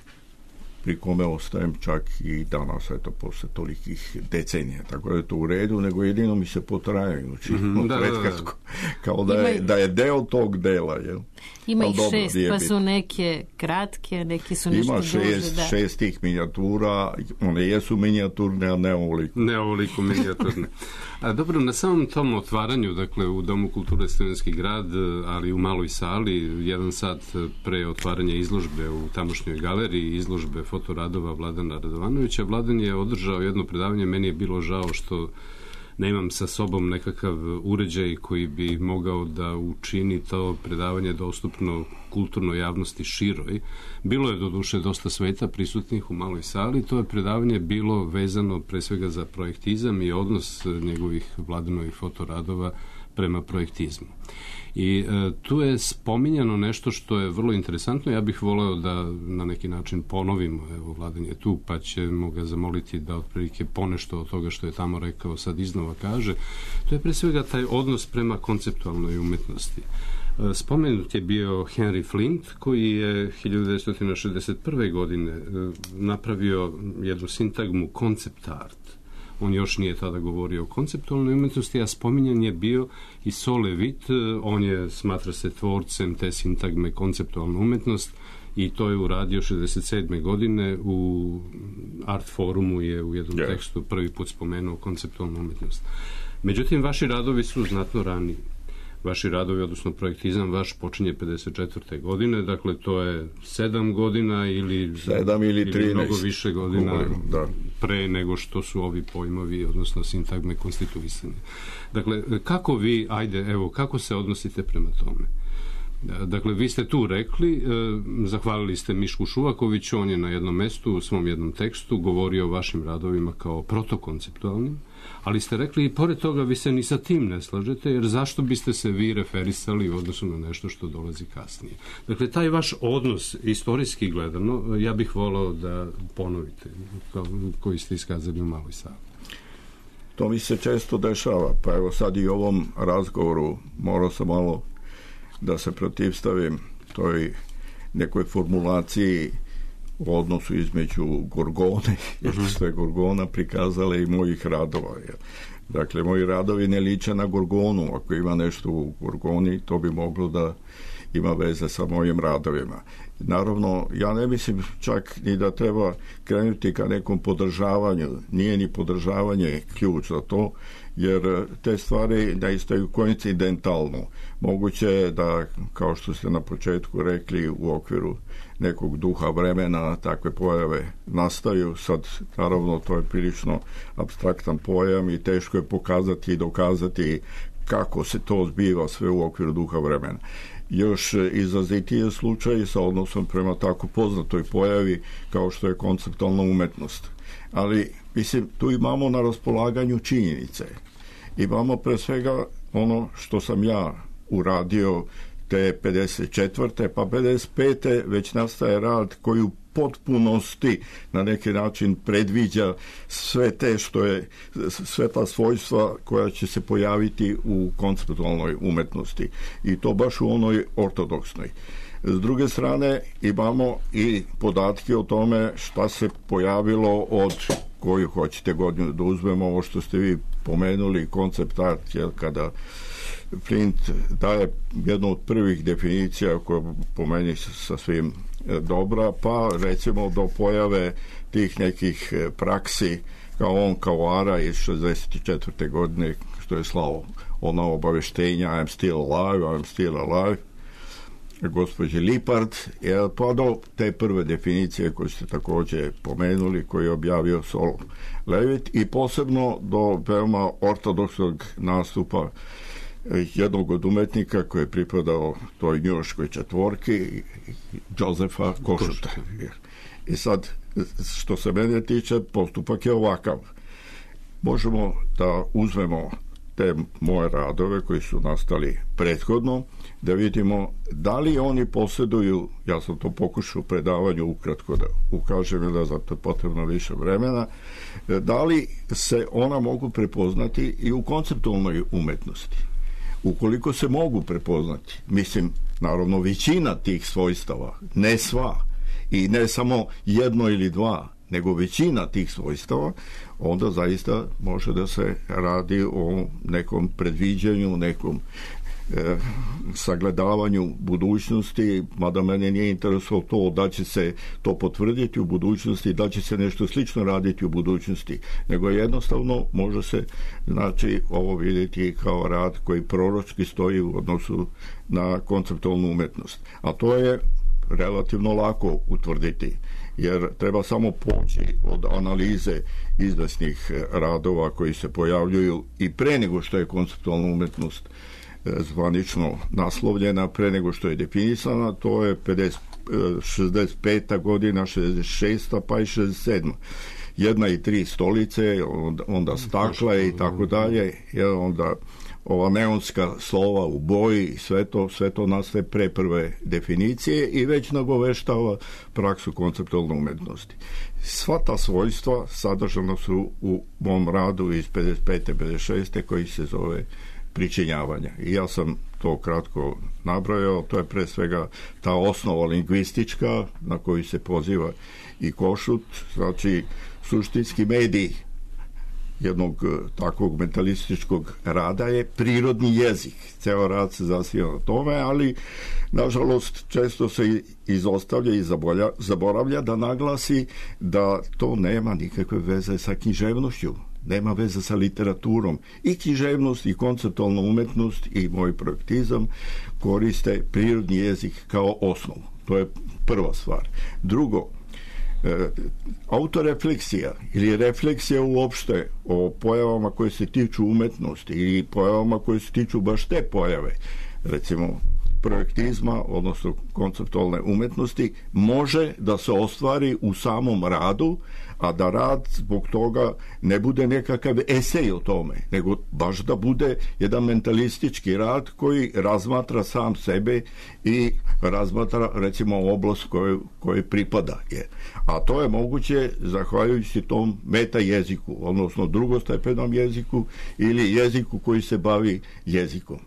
pri kome ostajem čak i danas, eto, posle tolikih decenija. Tako da je to u redu, nego jedino mi se potrajaju kao da je deo tog dela, jel? Ima ih 6, pa su neke kratke, neki su nešto duže. Ima 6 tih minijatura, one jesu minijaturne, a ne ovoliko minijaturne. A dobro, na samom tom otvaranju, dakle, u Domu kulture Studentski grad, ali u maloj sali, 1 sat pre otvaranja izložbe u tamošnjoj galeriji, izložbe fotoradova Vladana Radovanovića, Vladan je održao jedno predavanje. Meni je bilo žao što nemam sa sobom nekakav uređaj koji bi mogao da učini to predavanje dostupno kulturnoj javnosti široj. Bilo je doduše dosta sveta prisutnih u maloj sali. To je predavanje bilo vezano pre svega za projektizam i odnos njegovih Vladinovih fotoradova prema projektizmu. I tu je spominjano nešto što je vrlo interesantno. Ja bih voleo da na neki način ponovimo, evo Vladan je tu, pa ćemo ga zamoliti da otprilike ponešto od toga što je tamo rekao sad iznova kaže. To je pre svega taj odnos prema konceptualnoj umetnosti. Spomenut je bio Henry Flint, koji je 1961. godine napravio jednu sintagmu concept art. On još nije tada govorio o konceptualnoj umetnosti, a spominjan je bio i Sol Levitt, on je, smatra se, tvorcem te sintagme konceptualna umetnost i to je uradio 67. godine u Art Forumu je u jednom tekstu prvi put spomenuo konceptualnu umetnost. Međutim, vaši radovi su znatno raniji. Vaši radovi, odnosno projektizam vaš počinje 54. godine, dakle to je 7 godina ili 13 mnogo više godina pre nego što su ovi pojmovi, odnosno sintagme konstituisane. Dakle, kako vi, kako se odnosite prema tome? Dakle, vi ste tu rekli, zahvalili ste Mišku Šuvakoviću, on je na jednom mestu u svom jednom tekstu govorio o vašim radovima kao protokonceptualnim, ali ste rekli i pored toga vi se ni sa tim ne slažete, jer zašto biste se vi referisali u odnosu na nešto što dolazi kasnije? Dakle, taj vaš odnos, istorijski gledano, ja bih volao da ponovite, koji ste iskazali u maloj sali. To mi se često dešava, pa evo sad i u ovom razgovoru morao sam malo da se protivstavim toj nekoj formulaciji u odnosu između Gorgone, što je Gorgona prikazala i mojih radova. Dakle, moji radovi ne liče na Gorgonu. Ako ima nešto u Gorgoni, to bi moglo da ima veze sa mojim radovima. Naravno, ja ne mislim čak ni da treba krenuti ka nekom podržavanju. Nije ni podržavanje ključ za to, jer te stvari naistaju koincidentalno. Moguće je da, kao što ste na početku rekli, u okviru nekog duha vremena takve pojave nastaju. Sad, naravno, to je prilično apstraktan pojam i teško je pokazati i dokazati kako se to zbiva sve u okviru duha vremena. Još izrazitiji je slučaj sa odnosom prema tako poznatoj pojavi kao što je konceptualna umetnost. Ali, mislim, tu imamo na raspolaganju činjenice. Imamo pre svega ono što sam ja uradio te 54. pa 55. već nastaje rad koji u potpunosti na neki način predviđa sve te što je, sve ta svojstva koja će se pojaviti u konceptualnoj umetnosti i to baš u onoj ortodoksnoj. S druge strane imamo i podatke o tome šta se pojavilo od koju hoćete godinu da uzmemo, ovo što ste vi pomenuli, koncept art, kada Flint daje jednu od prvih definicija koja po meni sasvim dobra, pa recimo do pojave tih nekih praksi kao on Kawara iz 64. godine što je slao ona obaveštenja I'm still alive gospođe Lippard, pa do te prve definicije koje ste također pomenuli, koji je objavio Sol Levitt, i posebno do veoma ortodoksnog nastupa jednog od umetnika koji je pripadao toj njujorškoj četvorki, Josefa Košuta. I sad, što se mene tiče, postupak je ovakav. Možemo da uzmemo te moje radove koji su nastali prethodno, da vidimo da li oni posjeduju, ja sam to pokušao u predavanju ukratko da ukažem, da za to potrebno više vremena, da li se ona mogu prepoznati i u konceptualnoj umetnosti. Ukoliko se mogu prepoznati, mislim, naravno većina tih svojstava, ne sva, i ne samo jedno ili dva, nego većina tih svojstava, onda zaista može da se radi o nekom predviđanju, nekom sagledavanju budućnosti, mada mene nije interesovalo to da će se to potvrditi u budućnosti, da će se nešto slično raditi u budućnosti, nego jednostavno može se, znači, ovo vidjeti kao rad koji proročki stoji u odnosu na konceptualnu umetnost. A to je relativno lako utvrditi, jer treba samo poći od analize izvesnih radova koji se pojavljuju i pre nego što je konceptualna umetnost zvanično naslovljena, pre nego što je definisana, to je 65. godina, 66. pa i 67. 1 i 3 stolice, onda stakla i tako dalje, onda ova neonska slova u boji, sve to nastaje pre prve definicije i već nagoveštava praksu konceptualne umetnosti. Sva ta svojstva sadržana su u mom radu iz 55. 56. koji se zove pričinjavanja. I ja sam to kratko nabrojao, to je pre svega ta osnova lingvistička na koju se poziva i Košut, znači suštinski medij jednog takvog mentalističkog rada je prirodni jezik. Ceo rad se zasniva na tome, ali nažalost često se izostavlja i zaboravlja da naglasi da to nema nikakve veze sa književnošću, nema veze sa literaturom. I književnost i konceptualna umetnost i moj projektizam koriste prirodni jezik kao osnovu. To je prva stvar. Drugo, autorefleksija ili refleksija uopšte o pojavama koje se tiču umetnosti ili pojavama koje se tiču baš te pojave, recimo projektizma, odnosno konceptualne umetnosti, može da se ostvari u samom radu, a da rad zbog toga ne bude nekakav esej o tome, nego baš da bude jedan mentalistički rad koji razmatra sam sebe i razmatra recimo oblast kojoj pripada. A to je moguće zahvaljujući tom meta jeziku, odnosno drugostepenom jeziku ili jeziku koji se bavi jezikom.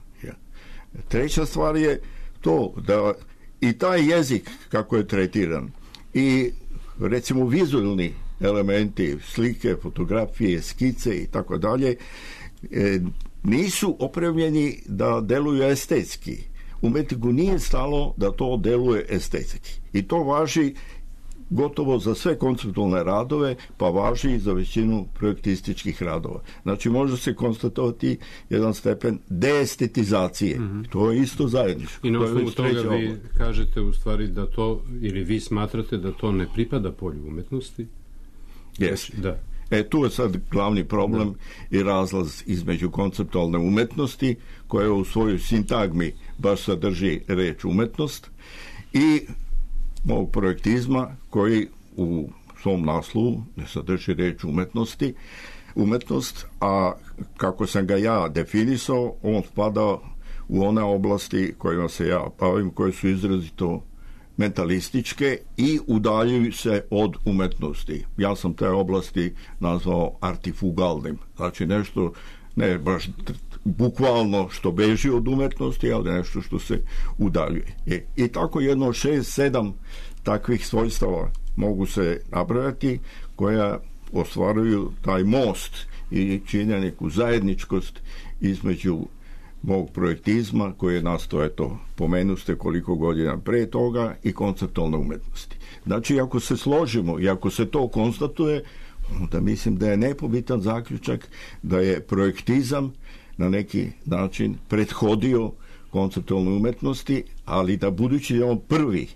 Treća stvar je to da i taj jezik kako je tretiran i recimo vizualni elementi, slike, fotografije, skice i tako dalje nisu opremljeni da deluju estetski. Umetniku nije stalo da to deluje estetski. I to važi gotovo za sve konceptualne radove, pa važi i za većinu projektističkih radova. Znači, može se konstatovati jedan stepen deestetizacije. To je isto zajedničko. I na osnovu toga vi kažete u stvari da to, ili vi smatrate da to ne pripada polju umetnosti? Jeste. Da. Tu je sad glavni problem i razlaz između konceptualne umetnosti, koja u svojoj sintagmi baš sadrži reč umetnost, i mog projektizma koji u svom naslovu ne sadrži reč umetnost, a kako sam ga ja definisao, on spada u one oblasti kojima se ja bavim, koje su izrazito mentalističke i udaljuju se od umetnosti. Ja sam te oblasti nazvao artifugalnim, znači nešto ne baš bukvalno što beži od umetnosti, ali nešto što se udaljuje. I tako jedno 6-7 takvih svojstava mogu se nabrojati, koja ostvaruju taj most i čine neku zajedničkost između mog projektizma, koji je nastao, eto, pomenuste koliko godina pre toga, i konceptualne umetnosti. Znači, ako se složimo i ako se to konstatuje, onda mislim da je nepobitan zaključak da je projektizam na neki način prethodio konceptualnoj umetnosti, ali da budući je on prvi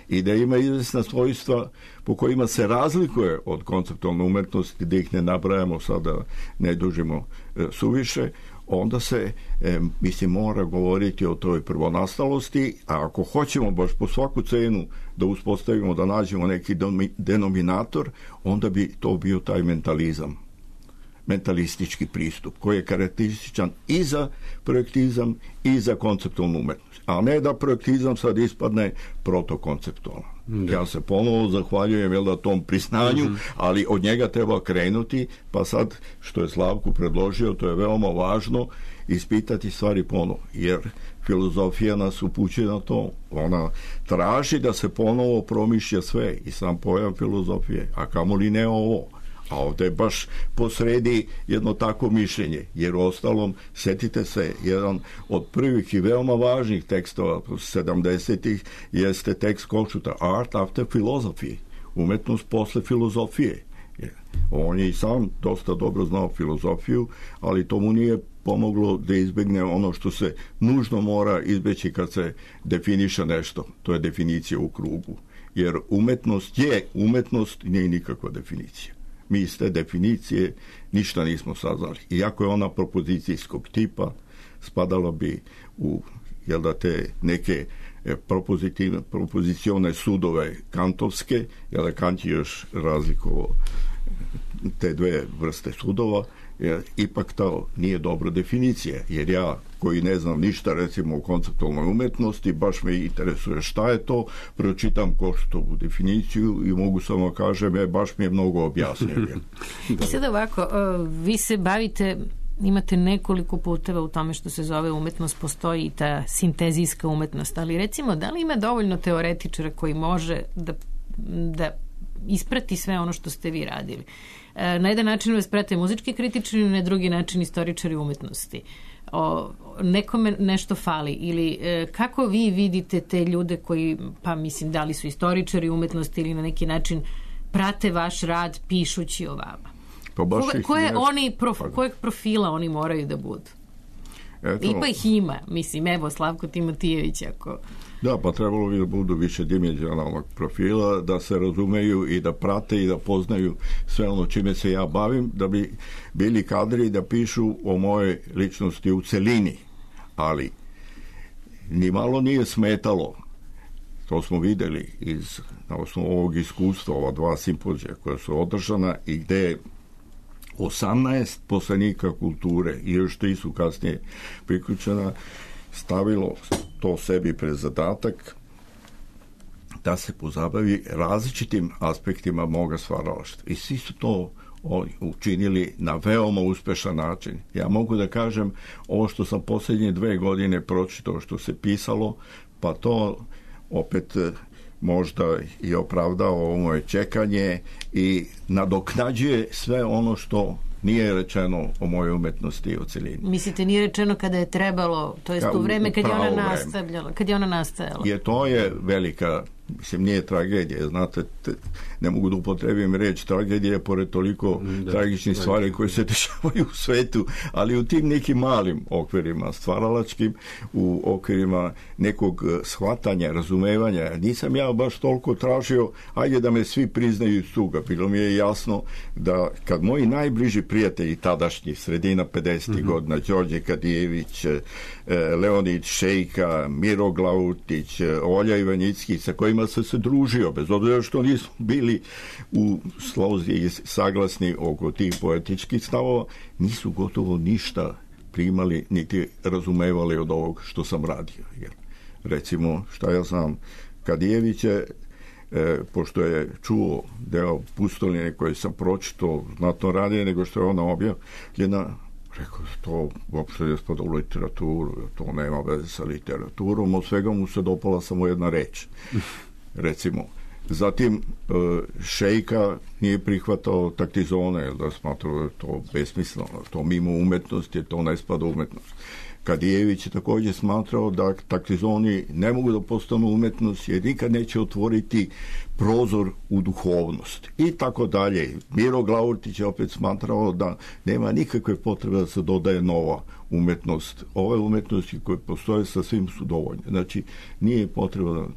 i da ima izvesna svojstva po kojima se razlikuje od konceptualne umetnosti, da ih ne nabrajamo sada, ne dužimo suviše, onda se, mislim, mora govoriti o toj prvonastalosti, a ako hoćemo baš po svaku cenu da uspostavimo, da nađemo neki denominator, onda bi to bio taj mentalizam, mentalistički pristup, koji je karakterističan i za projektizam i za konceptualnu umetnost. A ne da projektizam sad ispadne protokonceptualan. Ja se ponovo zahvaljujem tom priznanju, ali od njega treba krenuti, pa sad, što je Slavko predložio, to je veoma važno, ispitati stvari ponovo, jer filozofija nas upućuje na to. Ona traži da se ponovo promišlja sve i sam pojam filozofije, a kamoli ne ovo. A ovdje je baš posredi jedno tako mišljenje, jer u ostalom, setite se, jedan od prvih i veoma važnih tekstova 70-ih jeste tekst Košuta, Art after Philosophy, umetnost posle filozofije. On je i sam dosta dobro znao filozofiju, ali to mu nije pomoglo da izbegne ono što se nužno mora izbeći kad se definiše nešto. To je definicija u krugu. Jer umetnost je umetnost, nije nikakva definicija. Mi iz te definicije ništa nismo saznali. Iako je ona propozicijskog tipa, spadalo bi u te neke propozicione sudove kantovske, jer Kant je još razlikovao te dve vrste sudova, jer ipak to nije dobra definicija, jer ja koji ne znam ništa recimo o konceptualnoj umetnosti, baš me interesuje šta je to, pročitam Koštovu definiciju i mogu samo kažem, baš mi je mnogo objasnio. I sad ovako, vi se bavite, imate nekoliko puteva u tome što se zove umetnost, postoji i ta sintezijska umetnost, ali recimo, da li ima dovoljno teoretičara koji može da isprati sve ono što ste vi radili? Na jedan način vas prate muzički kritičari, na drugi način istoričari umetnosti. Nekome nešto fali ili kako vi vidite te ljude koji, pa mislim, da li su istoričari umetnosti ili na neki način prate vaš rad pišući o vama? Kojeg profila oni moraju da budu? Pa ih ima, mislim, evo Slavko Timotijević ako... Da, pa trebalo bi da budu više dimenzionalnog profila, da se razumeju i da prate i da poznaju sve ono čime se ja bavim, da bi bili kadri da pišu o mojoj ličnosti u celini. Ali ni malo nije smetalo, to smo videli na osnovu ovog iskustva, ova 2 simpozija koja su održana i gde je 18 poslanika kulture i još 3 su kasnije priključena, stavilo to sebi pred zadatak da se pozabavi različitim aspektima moga stvaralaštva. I svi su to učinili na veoma uspešan način. Ja mogu da kažem, ovo što sam posljednje 2 godine pročitao što se pisalo, pa to opet možda i opravdao ovo moje čekanje i nadoknađuje sve ono što nije rečeno o mojoj umetnosti i o celini. Mislite, nije rečeno kada je trebalo, to jest u vreme kad je ona nastajala? To je velika, mislim, nije tragedija, znate, ne mogu da upotrebim reč tragedija pored toliko tragičnih stvari koje se dešavaju u svetu, ali u tim nekim malim okvirima stvaralačkim, u okvirima nekog shvatanja, razumevanja. Nisam ja baš toliko tražio, ajde da me svi priznaju iz tuga. Bilo mi je jasno da kad moji najbliži prijatelji tadašnji, sredina 50. godina, Đorđe Kadijević, Leonid Šejka, Miro Glautić, Olja Ivanjicki, sa kojima sam se družio, bez obzira što nismo bili u slozi i saglasni oko tih poetičkih stavova, nisu gotovo ništa primali niti razumevali od ovog što sam radio. Jer, recimo, šta ja znam, Kadijević je, pošto je čuo deo Pustoline koje sam pročitao znatno radije nego što je ona objavljena, rekao, to uopšte je spada u literaturu, to nema veze sa literaturom, od svega mu se dopala samo jedna reč. Recimo, zatim Šejka nije prihvatao taktizone, da smatrao da to besmisleno, to mimo umetnosti, to ne spada u umetnost. Kadijević je također smatrao da taktizoni ne mogu da postanu umetnost jer nikad neće otvoriti prozor u duhovnost i tako dalje. Miro Glautić je opet smatrao da nema nikakve potrebe da se dodaje nova umetnost. Ove umetnosti koje postoje sasvim su dovoljne. Znači, nije potrebno,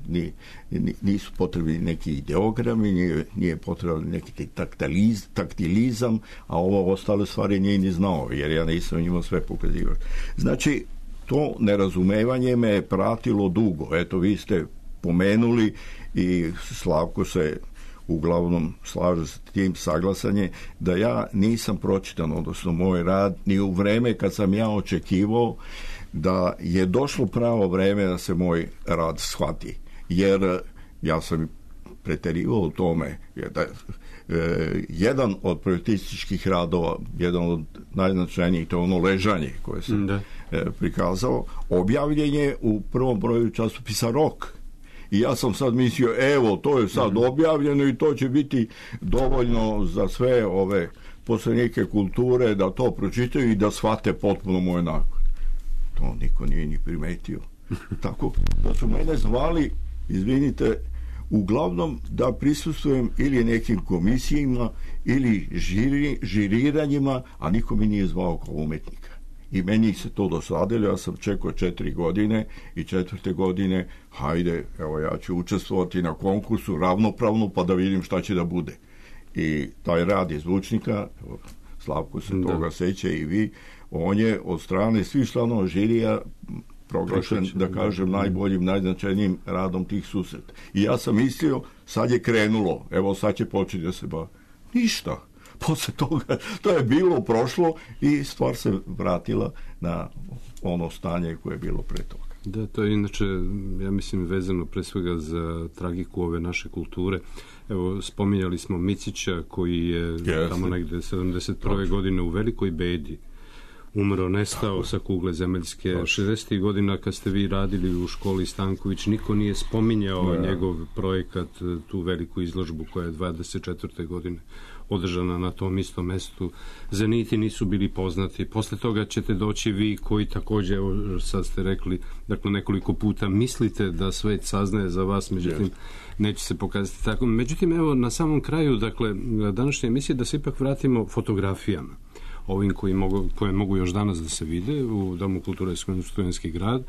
nisu potrebni neki ideogrami, nije potreban neki taktilizam, a ovo ostale stvari nije ni znao, jer ja nisam njima sve pokazivao. Znači, to nerazumevanje me je pratilo dugo. Eto, vi ste pomenuli i Slavko se uglavnom slaže s tim saglasanje da ja nisam pročitan, odnosno moj rad, ni u vreme kad sam ja očekivao da je došlo pravo vreme da se moj rad shvati. Jer ja sam preterivao u tome da jedan od projektističkih radova, jedan od najznačajnijih, to je ono Ležanje koje sam prikazao, objavljen je u prvom broju časopisa Rok. I ja sam sad mislio, evo, to je sad objavljeno i to će biti dovoljno za sve ove poslanike kulture da to pročitaju i da shvate potpuno moj nakon. To niko nije ni primetio. Tako da su mene zvali, izvinite, uglavnom da prisustvujem ili nekim komisijima ili žiriranjima, a niko mi nije zvao kao umetnika. i meni se to dosadilo, ja sam čekao 4 godine i 4. godine, hajde, evo ja ću učestvovati na konkursu ravnopravno pa da vidim šta će da bude. I taj rad iz zvučnika, Slavko se toga seća i vi, on je od strane svih članova žirija proglašen, da kažem, najboljim, najznačajnijim radom tih susreta. I ja sam mislio, sad je krenulo, evo sad će početi da se bavi. Ništa. Posle toga, to je bilo, prošlo i stvar se vratila na ono stanje koje je bilo pre toga. Da, to je inače, ja mislim, vezano pre svega za tragiku ove naše kulture. Evo, spominjali smo Micića koji je tamo negde 71. godine u velikoj bedi umro, nestao sa kugle zemaljske. 60. godina kad ste vi radili u školi Stanković, niko nije spominjao njegov projekat, tu veliku izložbu koja je 24. godine održana na tom istom mestu. Zeniti nisu bili poznati. Posle toga ćete doći vi koji takođe, evo sad ste rekli, dakle nekoliko puta mislite da svet saznaje za vas, međutim neće se pokazati tako. Međutim, evo na samom kraju, dakle, današnje emisije da se ipak vratimo fotografijama. Ovim koje mogu još danas da se vide u Domu kulture Studentski grad,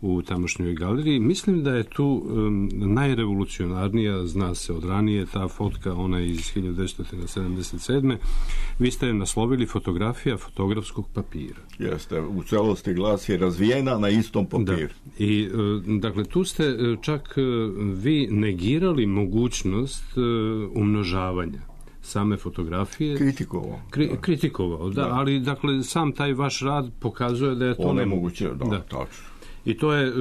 u tamošnjoj galeriji. Mislim da je tu najrevolucionarnija, zna se od ranije, ta fotka, ona iz 1977. Vi ste naslovili fotografija fotografskog papira. Jeste, u celosti glasi je razvijena na istom papiru. Da. I, dakle, tu ste čak vi negirali mogućnost umnožavanja same fotografije. Kritikovao, da, ali dakle sam taj vaš rad pokazuje da je to nemoguće. Da, tačno. I to je,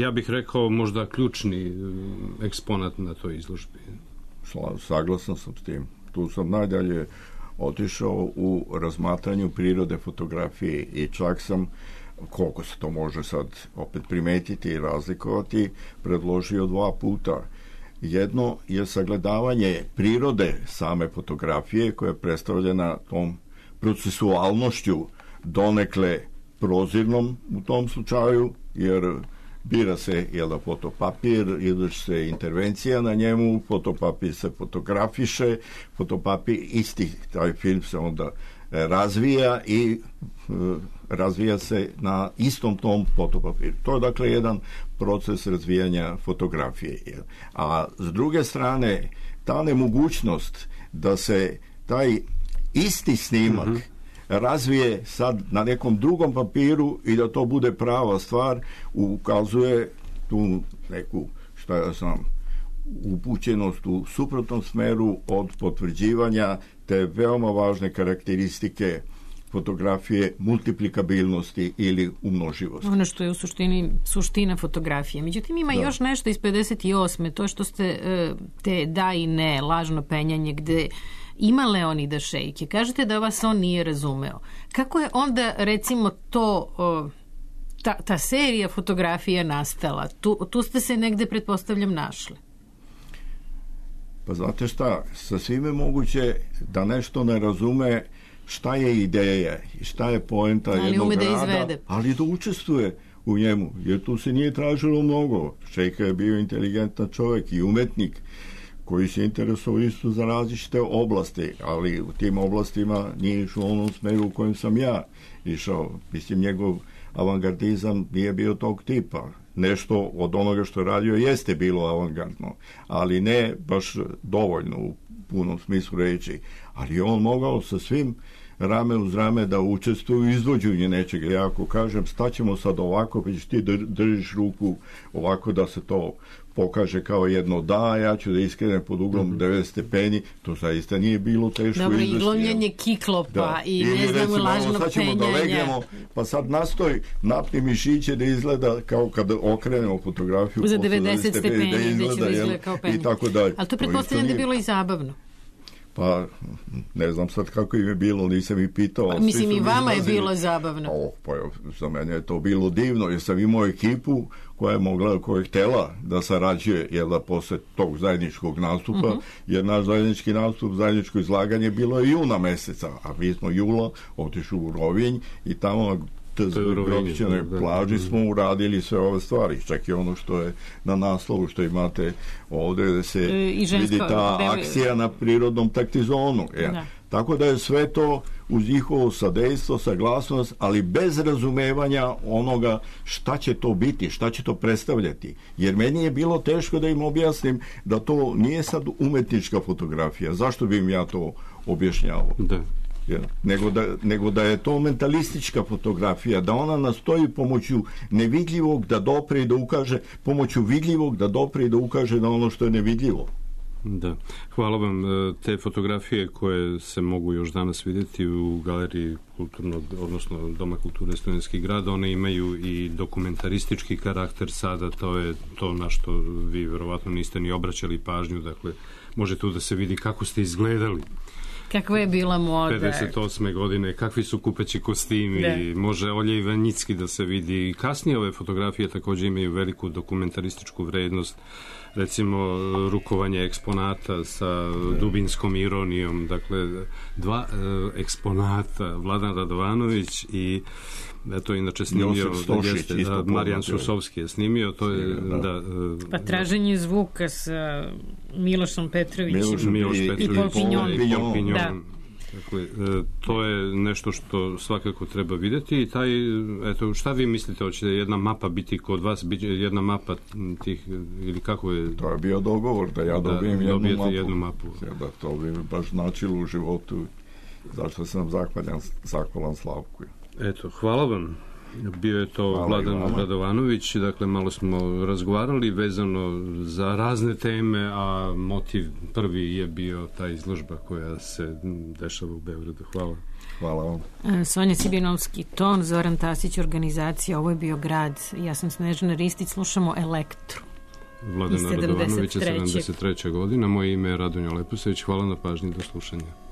ja bih rekao, možda ključni eksponat na toj izložbi. Saglasan sam s tim. Tu sam najdalje otišao u razmatranju prirode fotografije i čak sam, koliko se to može sad opet primetiti i razlikovati, predložio 2 puta. Jedno je sagledavanje prirode same fotografije koja je predstavljena tom procesualnošću, donekle prozirnom u tom slučaju, jer bira se fotopapir, izvrši se intervencija na njemu, fotopapir se fotografiše, fotopapir isti, taj film se onda razvija i razvija se na istom tom fotopapiru. To je dakle jedan proces razvijanja fotografije. A s druge strane, ta nemogućnost da se taj isti snimak razvije sad na nekom drugom papiru i da to bude prava stvar, ukazuje tu neku, šta ja znam, upućenost u suprotnom smeru od potvrđivanja te veoma važne karakteristike fotografije, multiplikabilnosti ili umnoživosti. Ono što je u suštini suština fotografije. Međutim, ima još nešto iz 58. To što ste te da i ne, lažno penjanje, gde ima Leonida Šejke. Kažete da vas on nije razumeo. Kako je onda, recimo, to ta serija fotografija nastala? Tu ste se negde, pretpostavljam, našli. Pa znate šta, sasvim je moguće da nešto ne razume šta je ideja i šta je poenta jednog rada, ali da učestvuje u njemu, jer tu se nije tražilo mnogo. Šejka je bio inteligentan čovjek i umetnik koji se interesovao isto za različite oblasti, ali u tim oblastima nije išao u onom smeru u kojem sam ja išao. Mislim, njegov avangardizam nije bio tog tipa. Nešto od onoga što je radio jeste bilo avangardno, ali ne baš dovoljno u punom smislu reći. Ali on mogao sa svim rame uz rame da učestvuje u izvođenju nečega. Ja ako kažem staćemo sad ovako, pa ćeš ti držiš ruku ovako da se to pokaže kao jedno da, ja ću da iskrenem pod uglom 90 stepeni, to zaista nije bilo teško. Dobro, i glomljenje kiklopa i ne znamo lažno penjanje. Da legnemo, pa sad nastoj napni mišiće da izgleda kao kada okrenemo fotografiju za 90 stepeni da izgleda kao penjanje. I tako dalje. Ali to pretpostavljam da je bilo i zabavno. Pa, ne znam sad kako im je bilo, nisam ih pitao. Pa, mislim, i vama je bilo zabavno. Pa, za mene je to bilo divno, jer sam imao ekipu koja je htjela da sarađuje, jer da posle tog zajedničkog nastupa, jer naš zajednički nastup, zajedničko izlaganje bilo je juna meseca, a mi smo jula otišli u Rovinj i tamo na Grobićanoj plaži smo uradili sve ove stvari. Čak i ono što je na naslovu što imate ovdje da se vidi ta akcija na prirodnom taktizonu. Tako da je sve to uz njihovo sadejstvo, saglasnost, ali bez razumevanja onoga šta će to biti, šta će to predstavljati. Jer meni je bilo teško da im objasnim da to nije sad umetnička fotografija. Zašto bi im ja to objašnjavao? Da. Nego da je to mentalistička fotografija, da ona nastoji pomoću nevidljivog da dopre i da ukaže, pomoću vidljivog da dopre i da ukaže na ono što je nevidljivo. Da, hvala vam. Te fotografije koje se mogu još danas vidjeti u galeriji kulturnog, odnosno Doma kulture Studentski grad, one imaju i dokumentaristički karakter sada, to je to na što vi verovatno niste ni obraćali pažnju, dakle, može tu da se vidi kako ste izgledali. Kakva je bila moda. 58. godine, kakvi su kupeći kostimi, može Olja Ivanjicki da se vidi. Kasnije ove fotografije također imaju veliku dokumentarističku vrednost, recimo rukovanje eksponata sa dubinskom ironijom, dakle dva eksponata, Vladan Radovanović i to je inače snimio Marijan Susovski je snimio, to je pa traženje zvuka sa Milošom Petrovićem i Pol Pinjon. Dakle, to je nešto što svakako treba vidjeti i taj, eto, šta vi mislite, hoće jedna mapa biti kod vas, jedna mapa tih, ili kako je? To je bio dogovor da ja dobijem jednu mapu. Da, to bi baš značilo u životu, zašto sam zahvalan Slavku. Eto, hvala vam. Bio je to Vladan Radovanović, dakle malo smo razgovarali vezano za razne teme, a motiv prvi je bio ta izložba koja se dešava u Beogradu. Hvala. Hvala vam. Sonja Cibinovski, ton, Zoran Tasić, organizacija, ovo je bio grad. Ja sam Snežana Ristić, slušamo Elektru. Vladana Radovanovića, 73. godina. Moje ime je Radonja Leposević. Hvala na pažnji, do slušanja.